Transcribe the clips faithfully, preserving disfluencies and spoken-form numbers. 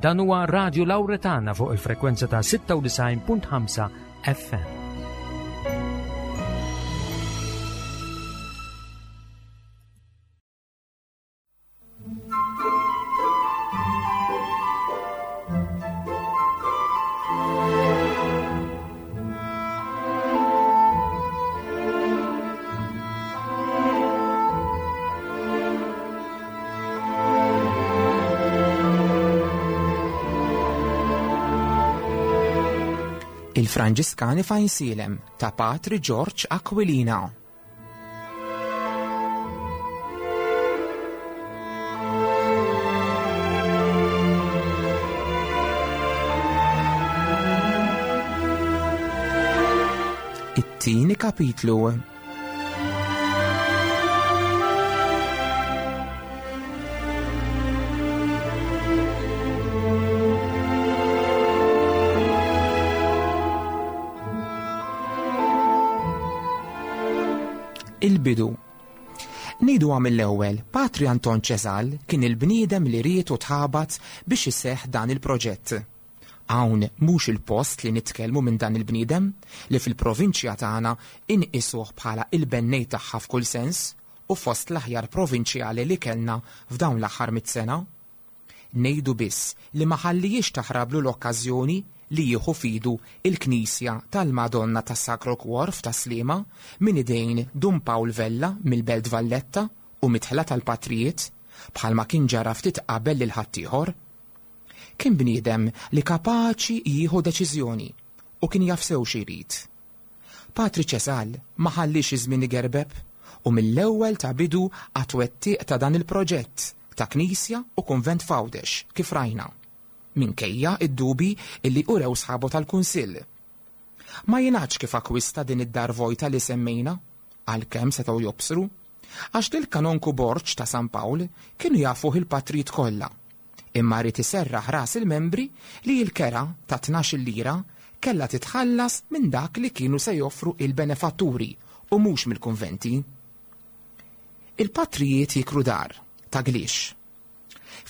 Dan huwa Radio Lauretana fuq il-frekwenza ta' sitta u disgħin punt ħamsa F M. Il-Franġiskani f'Għajnsielem ta' Patri George Aquilina. It-tieni kapitlu. Il-bidu. Ngħidu mill-ewwel, Patri Anton Ċesal kien il-bniedem li ried u tħabat biex iseħ dan il-proġett. Hawn mhux il-post li nitkellmu minn dan il-bniedem li fil-provinċja tagħna inqisuh bħala il-bennej tagħha f'kull sens u fost l-aħjar provinċjali li kellna f'dawn l-aħħar mit sena. Ngħidu biss li ma ħallijiex taħrablu l-okkażjoni li jieħu f'idu il-Knisja tal-Madonna tas Sacro Cuor f'Tas-Sliema minn idejn Dun Paul Vella mill-Belt Valletta u midħla tal-Patrijiet, bħalma kien ġara ftit qabel lil ħaddieħor. Kien bniedem li kapaċi jieħu deċiżjoni u kien jaf sew xi jrid. Patri Ċesal ma ħallix iż-żmien igerbeb u mill-ewwel ta bidu għat-twettiq ta' dan il-proġett ta' knisja u konvent f'Għawdex, kif rajna, minkejja id-dubi illi urew sħabu tal-Kunsill. Ma jingħadx kif akwista din id-dar vojta li semmejna, għalkemm setgħu jobsru, għax lil Kanonku Borġ ta' San Pawl kienu jafuh il-patrijiet kollha. Imma ried iserraħ ras il-membri li l-kera ta' tnax lira kella titħallas minn dak li kienu se joffru il-benefatturi u mhux mill-konventi. Il-patrijiet jikru dar ta' Glix.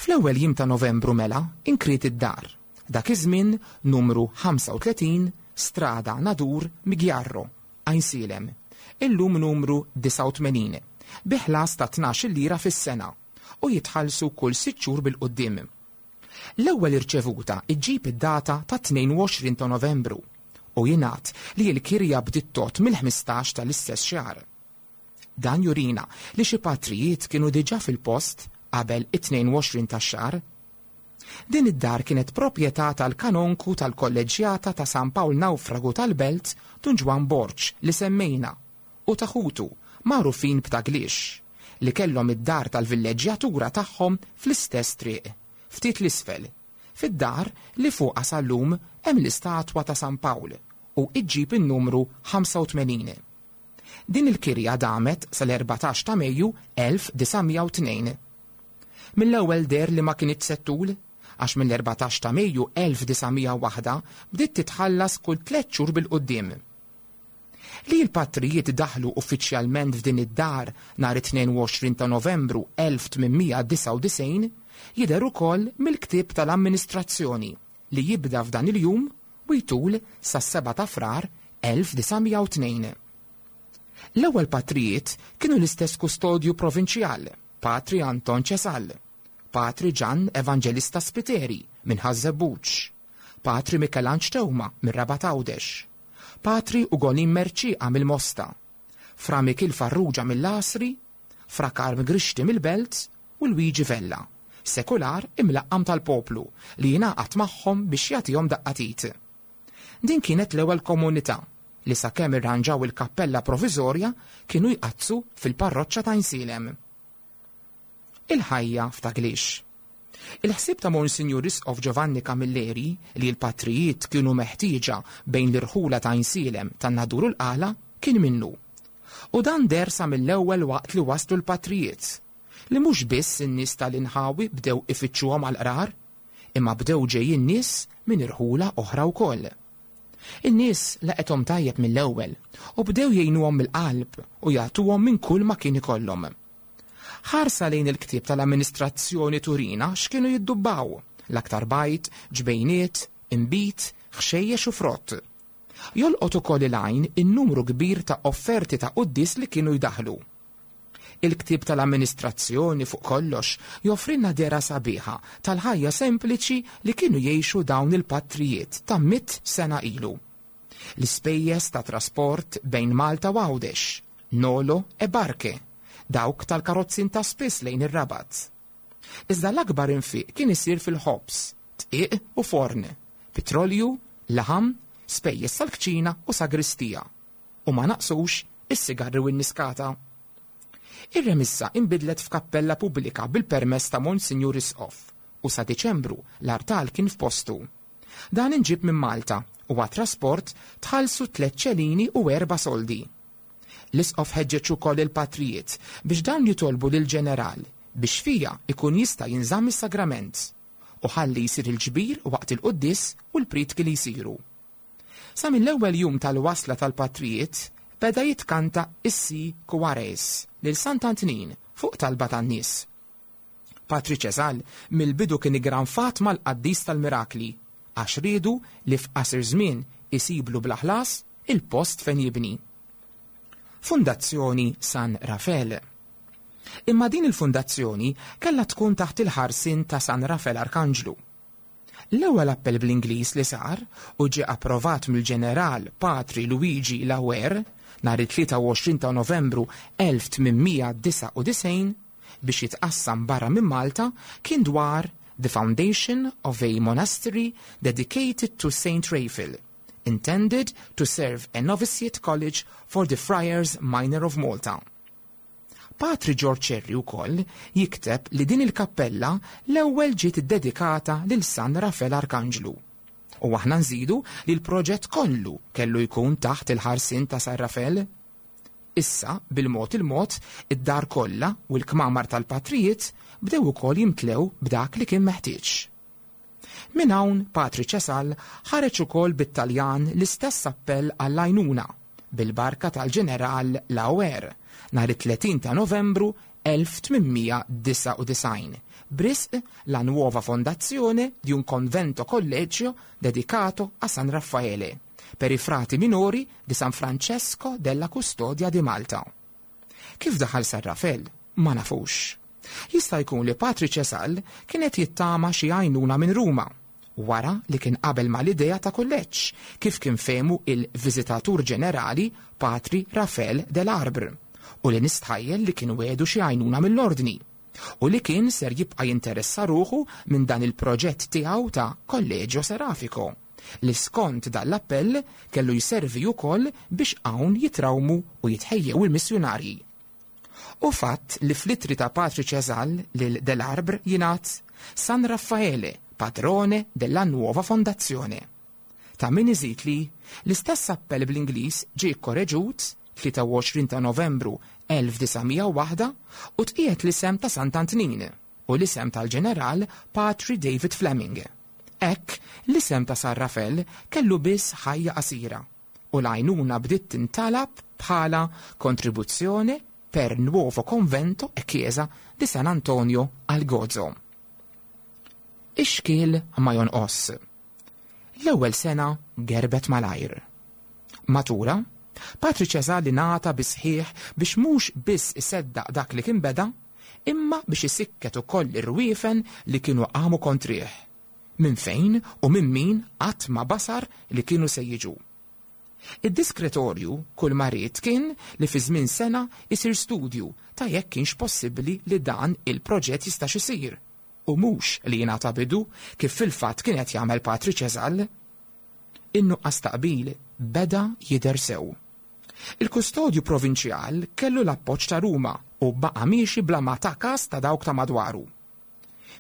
Fl-ewwel jiem ta' Novembru mela inkriet id-dar. Dak iż-żmien numru ħamsa u tletin Strada Nadur Migjarro, Għajnsielem. Illum numru disgħa u tmenin, bi ħlas ta' tnax lira fis-sena u jitħallsu kull sitt xhur bil-quddiem. L-ewwel irċevuta iġġib id-data ta' tnejn u għoxrin ta' Novembru u jingħad li l-kirja bdiet tot mill-ħmistax tal-istess xahar. Dan jurina li xi patrijiet kienu diġà fil-post qabel it-tnejn u għoxrin tax-xahar. Din id-dar kienet proprjetà tal-kanonku tal-kolleġjata ta' San Pawl Nawfragu tal-Belt, Dun Ġwan Borġ li semmejna, u ta' ħutu magħrufin b'Ta' Glix, li kellhom id-dar tal-villeġġjatura tagħhom fl-istess triq, ftit l-isfel, fid-dar li fuqha sal-lum hemm l-istatwa ta' San Pawl u iġġib in-numru ħamsa u tmenin. Din il-kirja damet sal-erbatax ta' Mejju elf disa' mija u tnejn. Mill-ewwel deher li ma kinitx se ttul, għax mill-erbatax ta' Mejju elf disa' mija u waħda bdiet titħallas kull tliet xhur bil-quddiem. Li l-patrijiet daħlu uffiċjalment f'din id-dar nhar it-tnejn u għoxrin ta' Novembru elf tmien mija disgħa u disgħin jidher ukoll mill-ktieb tal-amministrazzjoni li jibda f'dan il-jum u jtul sas-sebgħa ta' Frar elf disa' mija u tnejn. L-ewwel patrijiet kienu l-istess kustodju provinċjal, Patri Anton Ċesal, Patri Ġan Evangelista Spiteri minn Ħaż-Żebbuġ, Patri Mikelanġ Teuma minn Rabat Għawdex, Patri Ugolin Merċiqa mill-Mosta, Fra Mikil Farrugia mill-Għasri, Fra Karm Grixti mill-Belt u Luigi Vella, sekular imlaqqam tal-poplu li jingħaqad magħhom biex jagħtihom daqqa t'id. Din kienet l-ewwel komunità li sakemm irranġaw il-kappella provizorja kienu jqaddsu fil-parroċċa ta' Għajnsielem. Il-ħajja f'Ta' Glix. Il-ħsieb ta' Monsignor Isqof Giovanni Camilleri li l-patrijiet kienu meħtieġa bejn l-irħula ta' Għajnsielem, tan-Nadur u l-Qala kien minnu. U dan deher sa mill-ewwel waqt li waslu l-patrijiet, li mhux biss in-nies tal-inħawi bdew ifittxuhom għal-qrar, imma bdew ġejjin nies minn irħula oħra wkoll. In-nies laqgħuhom tajjeb mill-ewwel u bdew jgħinuhom mill-qalb u jagħtuhom minn kull ma kien ikollhom. Ħarsa lejn il-ktieb tal-amministrazzjoni turina x'kienu jiddubbaw l-aktar bajd, ġbejniet, inbid, ħxejjex u frott. Jolqot ukoll il-għajn in-numru kbir ta' offerti ta' quddies li kienu jdaħlu. Il-ktieb tal-amministrazzjoni fuq kollox joffrilna dehra sabiħa tal-ħajja sempliċi li kienu jgħixu dawn il-patrijiet ta' mitt sena ilu. L-ispejjeż ta' trasport bejn Malta u Għawdex, Nolo e Barke, dawk tal-karozzin ta' spiss lejn ir-Rabat. Iżda l-akbar infiq kien isir fil-ħobż, dqiq u forn, petrolju, laħam, spejjeż tal-kċina u sagristija. U ma naqsux is-sigarri u n-niskata. Ir-remissa inbidlet f'kappella pubblika bil-permess ta' Monsinjur Isqof u sa Diċembru l-artal kien f'postu. Dan inġib minn Malta u għat-trasport tħallsu tliet ċelini u erba' soldi. L-Isqof ħeġġeġ ukoll il-patrijiet biex dawn jitolbu lill-ġeneral biex fija ikun jista' jinżamm is-sagrament u ħalli jsir il-ġbir waqt il-quddies u l-prietki li jsiru. Sa mill-ewwel jum tal-wasla tal-patrijiet beda jitkanta is-Si Kuares lil Sant'Antnin fuq talba tan-nies. Patri Ċesal mill-bidu kien igranfat mal-qaddis tal-mirakli għax riedu li f'qasir żmien isiblu bla ħlas il-post fejn jibni. Fundazzjoni San Rafel. Imma din il-fundazzjoni kellha tkun taħt il-ħarsien ta' San Rafel Arkanġlu. L-ewwel appell bl-Ingliż li sar u ġie approvat mill-ġeneral Patri Luigi Lauer nhar it-tlieta u għoxrin ta' Novembru elf tmien mija disgħa u disgħin biex jitqassam barra minn Malta kien dwar The Foundation of a Monastery Dedicated to Saint Raphael, intended to serve a novitiate college for the Friars Minor of Malta. Patri George Cherry wkoll jikteb li din il-kappella l-ewwel ġiet iddedikata lil San Rafel Arkanġlu. U aħna nżidu li l-proġett kollu kellu jkun taħt il-ħarsien ta' San Rafel. Issa, bil-mod il-mod, id-dar kollha u l-kmamar tal-patrijiet bdew ukoll jimtlew b'dak li kien meħtieġ. Minn hawn Patri Ċesal ħareġ ukoll bit-Taljan l-istess appell għall-għajnuna bil-barka tal-ġeneral Lauer nhar it-tletin ta' Novembru elf tmien mija disgħa u disgħin b'risq la nuova fondazione di un convento collegio dedicato a San Raffaele per i frati minori di San Francesco della Custodia di Malta. Kif daħal San Rafel? Ma nafux. Jista' jkun li Patri Ċesal kienet jittama xi għajnuna minn Ruma, wara li kien qabel mal-idea ta' kulleġġ, kif kien fehmu il-Viżitatur Ġenerali Patri Rafel dell'Arbre, u li nistħajjel li kien wedu xi għajnuna mill-ordni, u li kien ser jibqa' jinteressa ruħu minn dan il-proġett tiegħu ta' Collegio Serafico, li skont dal-appell kellu jservi wkoll biex hawn jitrawmu u jitħejjew il-missjunarji. U fatt li fl-ittri ta' Patri Ċesal lil dell'Arbre jingħad San Raffaele, padrone della nuova fondazione. Ta' min iżid li l-istess appell bl-Ingliż ġie kkoreġut tlieta u għoxrin ta' Novembru elf disa' mija u waħda u tqiegħed l-isem ta' Sant'Antnin u l-isem tal-ġeneral Patri David Fleming. Hekk, l-isem ta' San Rafel kellu biss ħajja qasira u l-għajnuna bdiet tintalab bħala kontribuzzjoni per nuovo convento e chiesa di San Antonio al Gozo. Ix-xkiel ma jonqos. L-ewwel sena gerbet malajr. Matura, Patri Ċesali ngħata bisħieħ biex mhux biss iseddaq dak li kien beda, imma biex isikket ukoll ir-rwiefen li kienu qamu kontrih. Minn fejn u minn min qatt ma basar li kienu se jiġu. Id-diskretorju kull ma ried kien li fi żmien sena isir studju ta' jekk kienx possibbli li dan il-proġett jistax isir, u mhux li jingħata bidu kif fil-fatt kien qed jagħmel Patri Ċesal. In-nuqqas ta' qbil beda jidher sew. Il-kustodju provinċjal kellu l-appoġġ ta' Ruma u baqa' miexi bla ma ta' kas ta' dawk ta' madwaru.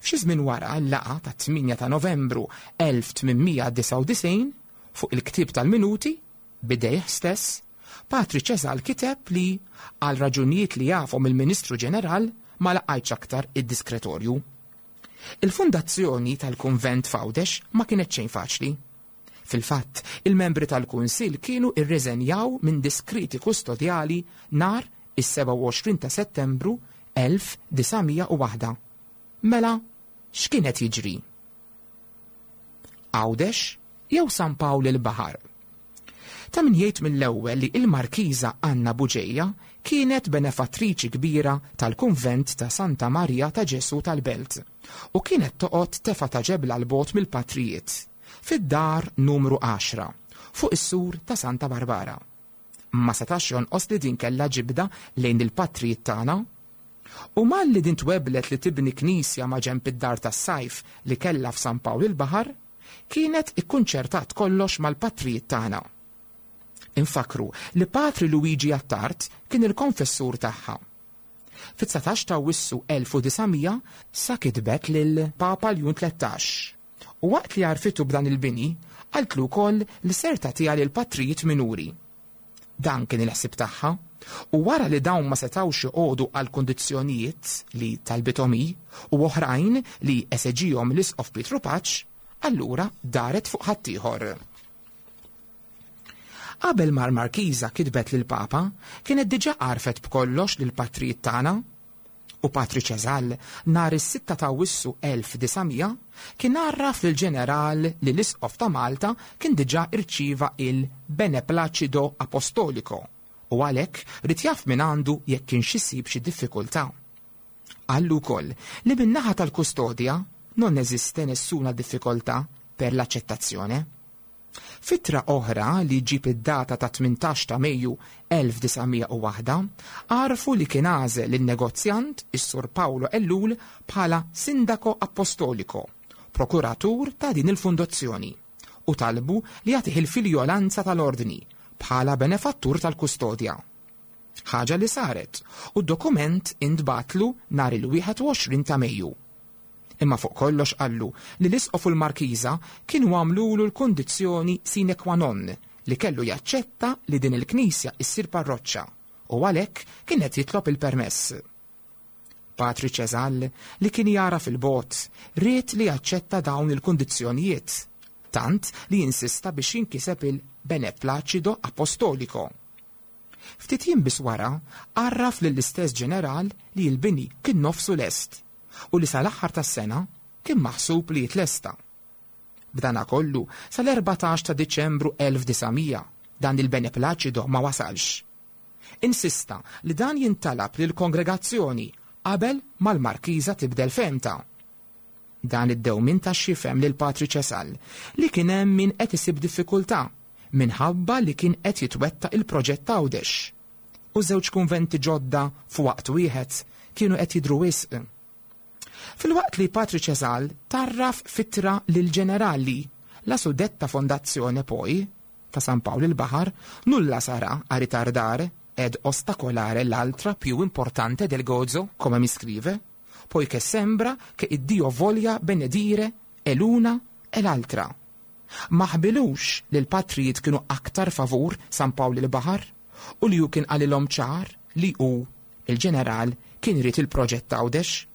F'xi żmien wara l-laqgħa ta' tmienja ta' Novembru elf tmien mija disgħa u disgħin fuq il-ktieb tal-minuti bidejh stess, Patri Ċesal kiteb li għal raġunijiet li jafhom il-Ministru Ġeneral ma laqgħitx aktar id-diskretorju. Il-fundazzjoni tal-kunvent f'Għawdex ma kienet xejn faċli. Fil-fatt, il-membri tal-Kunsill kienu irreżenjaw minn diskriti kustodjali nhar is-sebgħa u għoxrin ta' Settembru elf disa' mija u waħda. Mela, x'kien qed jiġri? Għawdex jew San Pawl il-Baħar. Ta' min jgħid mill-ewwel li il-Markiża Anna Buġeja kienet benefattriċi kbira tal-kunvent ta' Santa Maria ta' Ġesu tal-Belt u kienet toqgħod tefa' ta' ġebla 'l bogħod mill-patrijiet fid-dar numru għaxra fuq is-sur ta' Santa Barbara. Ma setax jonqos li din kellha ġibda lejn il-patrijiet tagħna. U malli din tweblet li tibni knisja ma' ġenb id-dar tas-sajf li kellha f'San Pawl il-Baħar, kienet ikkunċertat kollox mal-patrijiet tagħna. Infakru li Patri Luigi Attard kien il-konfessur tagħha. Fit-dsatax ta' Awwissu elf u disa' mija sa kitbet lil Papa Ljun tlettax. U waqt li għarfitu b'dan il-bini, qaltlu wkoll li ser tagħtiha lil patrijiet minuri. Dan kien il-ħsieb tagħha, u wara li dawn ma setgħux joqogħdu għal kundizzjonijiet li talbithom hi u oħrajn li eseġihom l-Isqof Pietru Paċ, allura daret fuq ħaddieħor. Qabel ma l-Markiża kitbet lil Papa, kienet diġà għarfet b'kollox lil patrijiet tagħna. U Patri Ċeżal nhar is-sitta ta' Awwissu elf disa' mija kien għarraf lil ġeneral li l-Isqof ta' Malta kien diġà irċieva il-Beneplacido Apostolico u għalhekk ried jaf minn għandu jekk kienx isib xi diffikultà. Qallu wkoll li min-naħa tal-kustodja non esiste nessuna difficoltà per l'accettazione. F'ittra oħra li ġib id-data ta' tmintax ta' Mejju elf disa' mija u waħda, għarfu li kien għażel lin-negozjant is-Sur Paolo Ellul bħala Sindaco Apostolico, prokuratur ta' din il-fondazzjoni, u talbu li jagħtih il-filjolanza tal-ordni bħala benefattur tal-kustodja. Ħaġa li saret u d-dokument intbatlu nhar il-wieħed u għoxrin ta' Mejju. Imma fuq kollox qallu li l-Isqof u l-Markiża kienu għamlulu l-kundizzjoni sine qua non li kellu jaċċetta li din il-knisja issir parroċċa u għalhekk kien qed jitlob il-permess. Patri Ċeżal li kien jara fil-bogħod ried li jaċċetta dawn il-kundizzjonijiet, tant li insista biex jinkiseb il-Beneplacido Apostolico. Ftit jiem biss wara għarraf lill-istess ġeneral li l-bini kien nofsu lest u li sal-aħħar tas-sena kien maħsub li jitlesta. B'dana kollu sal-erbatax ta' Diċembru elf disa' mija dan il-Beneplacido ma wasalx. Insista li dan jintalab lill-kongregazzjoni qabel mal-Markiża tibdel femta. Dan id-dewmin ta' xifem lil Patri Ċesal li kien hemm min qed isib diffikultà minħabba li kien qed jitwettaq il-proġett Għawdex. U żewġ kunventi ġodda f'waqt wieħed kienu qed jidhru wisq. Filwaqt li Patri Ċesal tarraf fitra lil ġenerali la suddetta fondazione poi ta' San Pawl il-Baħar nulla sarà a ritardare ed ostacolare l'altra più importante del Gozo, come mi scrive, poiché sembra che il Dio voglia benedire e l'una e l'altra. Ma ħbilux li l-patrijiet kienu aktar favur San Pawl il-Baħar u li hu kien qalilhom ċar li hu, il-ġeneral, kien irid il-proġett Għawdex.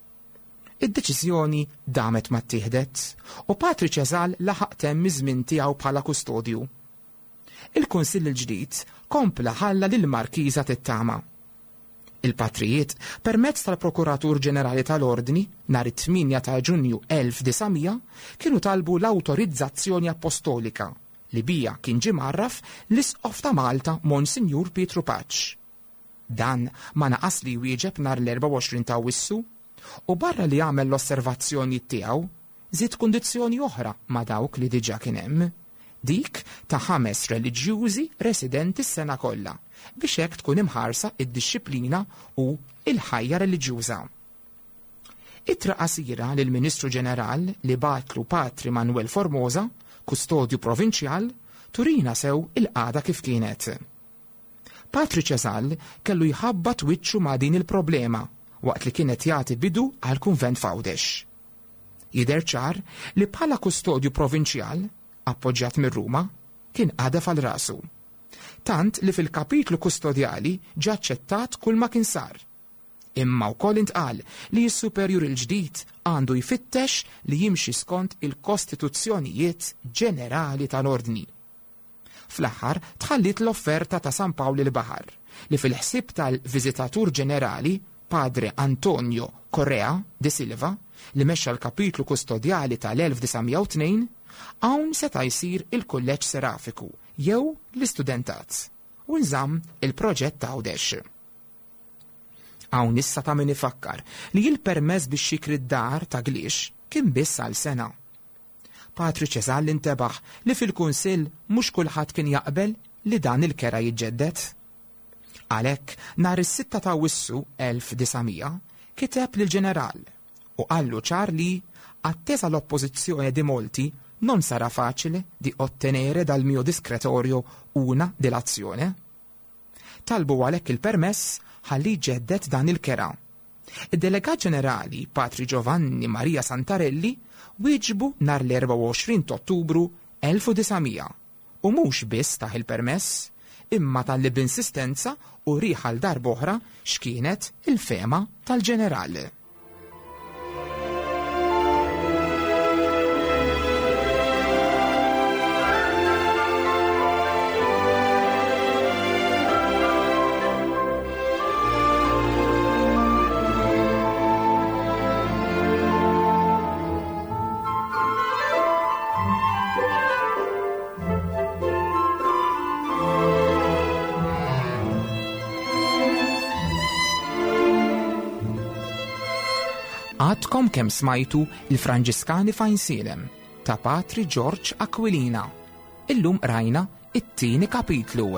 Id-deċiżjoni damet ma ttieħdet u Patri Ċeżal laħaq temm iż-żmien tiegħu bħala kustodju. Il-Kunsill il-ġdid kompla ħalla lil Markiża tittama. Il-patrijiet, permezz tal-Prokuratur Ġenerali tal-Ordni, nhar it-tmienja ta' Ġunju elf disa' mija, kienu talbu l-awtorizzazzjoni apostolika li bija kien ġie mgħarraf l-Isqof ta' Malta Monsinjur Pietru Paċ. Dan ma naqas li jwieġeb nhar l-erbgħa u għoxrin ta' Awwissu u barra li għamel l-osservazzjoni tiegħu, żied kundizzjoni oħra ma' dawk li diġà kien hemm, dik ta' ħames reliġjużi residenti s-sena kollha, biex hekk tkun imħarsa id-dixxiplina u il-ħajja reliġjuża. Ittra qasira lil Ministru Ġeneral li batlu Patri Manuel Formosa, kustodju provinċjal, turina sew il-qagħda kif kienet. Patri Ċeżal kellu jħabbat wiċċu ma' din il-problema waqt li kienet jagħti bidu għal kunvent f'Għawdex. Jidher ċar li bħala kustodju provinċjal, appoġġjat minn Ruma, kien qadef għal rasu. Tant li fil-kapitlu kustodjali ġa aċċettat kull ma kien sar. Imma wkoll intqal li s-superjur il-ġdid għandu jfittex li jimxi skont il-kostituzzjonijiet ġenerali tal-ordni. Fl-aħħar tħallit l-offerta ta' San Pawl il-Baħar li fil-ħsieb tal-Viżitatur Ġenerali Padre Antonio Correa de Silva li mexxa l-kapitlu kustodjali tal-elf disa' mija u tnejn Hawn seta' jsir il-Kulleġġ Serafiku jew l-Istudentat u nżamm il-proġett ta' Għawdex. Hawn issa ta' min ifakkar li l-permess biex jikri d-dar ta' Glix kien biss għal sena. Patri Ċesal intebaħ li fil-Kunsill mhux kulħadd kien jaqbel li dan il-kera jiġġedded. Għalhekk nhar is-sitta ta' Awwissu elf disa' mija kiteb lill-ġeneral u qallu ċar li attesa l-oppożizzjoni di molti non sarà facile di ottenere dal mio discretorio una delazione. Talbu għalhekk il-permess ħalli ġeddet dan il-kera. Id-delegat ġenerali Patri Giovanni Maria Santarelli wieġbu nhar l-erbgħa u għoxrin ta' Ottubru elf u disa' mija u mhux biss taħ il-permess, imma talli b'insistenza u riħal darb'oħra x'kienet il-fema tal-ġeneral. Għadkom kemm smajtu il-Franġiskani f'Għajnsielem ta' Patri George Aquilina. Illum rajna it-tieni kapitlu.